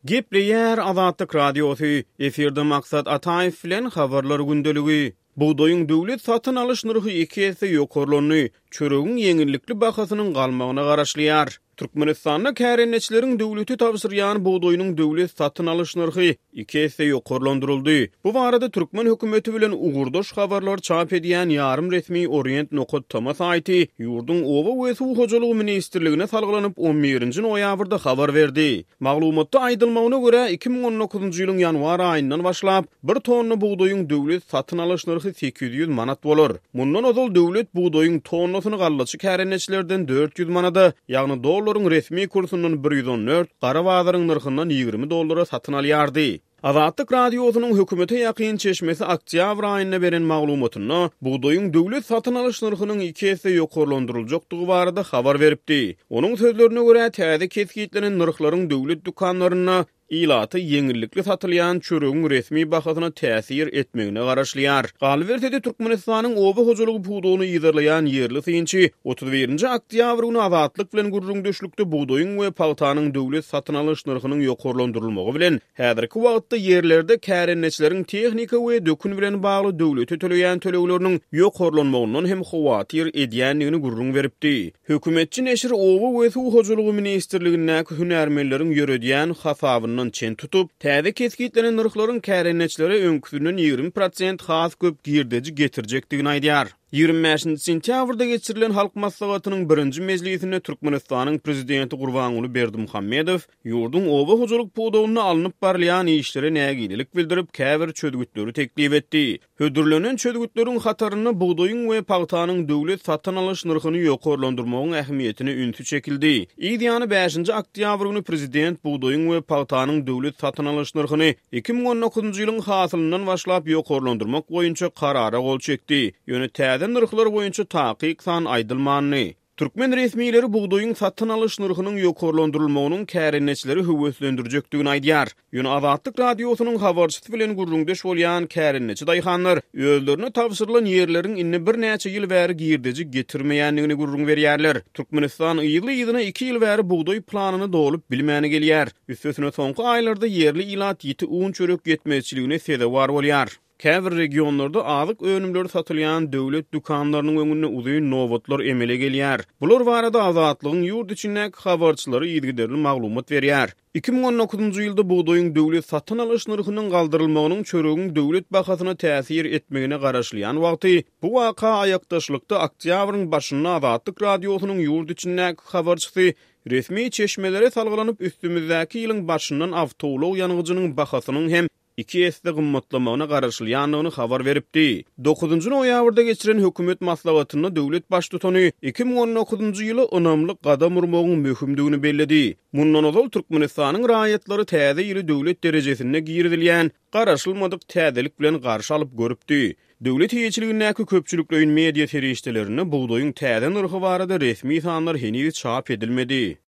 Gepleýär Azatlyk Radiosy, efirde Maksat Ataýew bilen Habarlar gündeligi. Bugdaýyň döwlet satyn alyş nyrhy iki esse ýokarlandy, çöregiň ýeňillikli bahasynyň galmagyna garaşylýar. Türkmenistanda kärendeçileriň döwlete tabşyrýan bugdaýynyň döwlet satyn alyş nyrhy iki esse ýokarlandyryldy. Bu barada türkmen hökümeti bilen ugurdaş habarlary çap edýän ýarym resmi Orient nokat tm saýty ýurduň Oba we suw hojalygy ministrligine salgylanyp, on birinji noýabrda habar berdi. Maglumatda aýdylmagyna görä, 2019-njy ýylyň ýanwar aýyndan başlap, bir tonna bugdaýyň döwlet satyn alyş nyrhy 800 manat bolar. Mundan ozal döwlet bugdaýyň tonnasyny gallaçy kärendeçilerden 400 manada, ýagny dollaryň resmi kursundan 114, gara bazaryň nyrhyndan 20 dollara satyn alýardy. Azatlyk Radiosynyň hökümete ýakyn çeşmesi oktýabr aýynda beren maglumatynda, bugdaýyň döwlet satyn alyş nyrhynyň iki esse ýokarlandyryljakdygy barada habar beripdi. Onuň sözlerine görä, täze kesgitlenen nyrhlaryň döwlet dükanlarynda ilata ýeňillikli satylýan çöregiň resmi bahasyna täsir etmegine garaşylýar. Galyberse-de, Türkmenistanyň oba hojalygy pudagyny yzarlaýan ýerli synçy 31-nji oktýabr güni Azatlyk bilen gürrüňdeşlikde bugdaýyň we pagtanyň döwlet satyn alyş nyrhynyň ýokarlandyrylmagy bilen Häzirki wagtda ýerlerde kärendeçileriň tehnika we dökün bilen bagly döwlete töleýän tölegleriniň ýokarlanmagyndan hem howatyr edýändigini gürrüň beripdi. Hökümetçi neşir Oba we suw hojalygy ministrligindäki hünärmenleriň ýöredýän hasabyndan çen tutup, täze kesgitlenen nyrhlaryň kärendeçilere öňküsinden 20 prosent has köp girdeji getirjekdigini aýdýar. 25-nji sentýabrda geçirilen Halk Maslahatynyň birinji mejlisinde Türkmenistanyň Prezidenti Gurbanguly Berdimuhamedow Ýurduň oba hojalyk pudagynda alnyp barylýan işlere nägilelik bildirip, käbir çözgütleri teklip etdi. Hödürlenen çözgütleriň hatarynda bugdaýyň we pagtanyň döwlet satyn alyş nyrhyny ýokarlandyrmagyň ähmiýetine ünsi çekildi. Yz ýany bäşinji oktýabr güni prezident bugdaýyň we pagtanyň döwlet satyn alyş nyrhyny 2019-njy ýylyň hasylyndan başlap ýokarlandyrmak boýunça karara gol çekdi. Ýöne täze nyrhlar boýunça takyk san aýdylmandy. Türkmen resmileri bugdaýyň satyn alyş nyrhynyň ýokarlandyrylmagynyň kärendeçileri höweslendirjekdigini aýdýar. Ýöne Azatlyk Radiosynyň habarçysy bilen gürrüňdeş bolýan kärendeçi daýhanlar özlerine tabşyrylan ýerleriň indi birnäçe ýyl bäri girdeji getirmeýändigini gürrüň berýärler. Türkmenistan yzly-yzyna iki ýyl bäri bugdaý planyny dolup bilmäni gelýär. Üstesine soňky aýlarda ýerli ilat ýiti un-çörek ýetmezçiligine sezewar bolýar. Käbir regionlarda azyk önümleri satylýan döwlet dükanlarynyň öňünde uzyn nobatlar emele gelýär. Bular barada Azatlygyň ýurt içindäki habarçylary yzygiderli maglumat berýär. 2019-njy ýylda bugdaýyň döwlet satyn alyş nyrhynyň galdyrylmagynyň çöregiň döwlet bahasyna täsir etmegine garaşylýan wagty, bu waka aýakdaşlykda oktýabryň başynda Azatlyk Radiosynyň ýurt içindäki habarçysy resmi çeşmelere salgylanyp, üstümizdäki ýylyň başyndan awtoulag ýangyjynyň bahasynyň hem iki esse gymmatlamagyna garaşylýandygyny habar beripdi. Dokuzynjy noýabrda geçiren hökümet maslahatynda döwlet Baştutany 2019-njy ýyla ynamly gadam urmagyň möhümdigini belledi. Mundan ozal Türkmenistanyň raýatlary täze ýyly döwlet derejesinde girizilýän garaşylmadyk täzelik bilen garşy alyp görüpdi. Döwlet eýeçiligindäki köpçülikleýin media serişdelerinde bugdaýyň täze nyrhy barada resmi sanlar heniz çap edilmedi.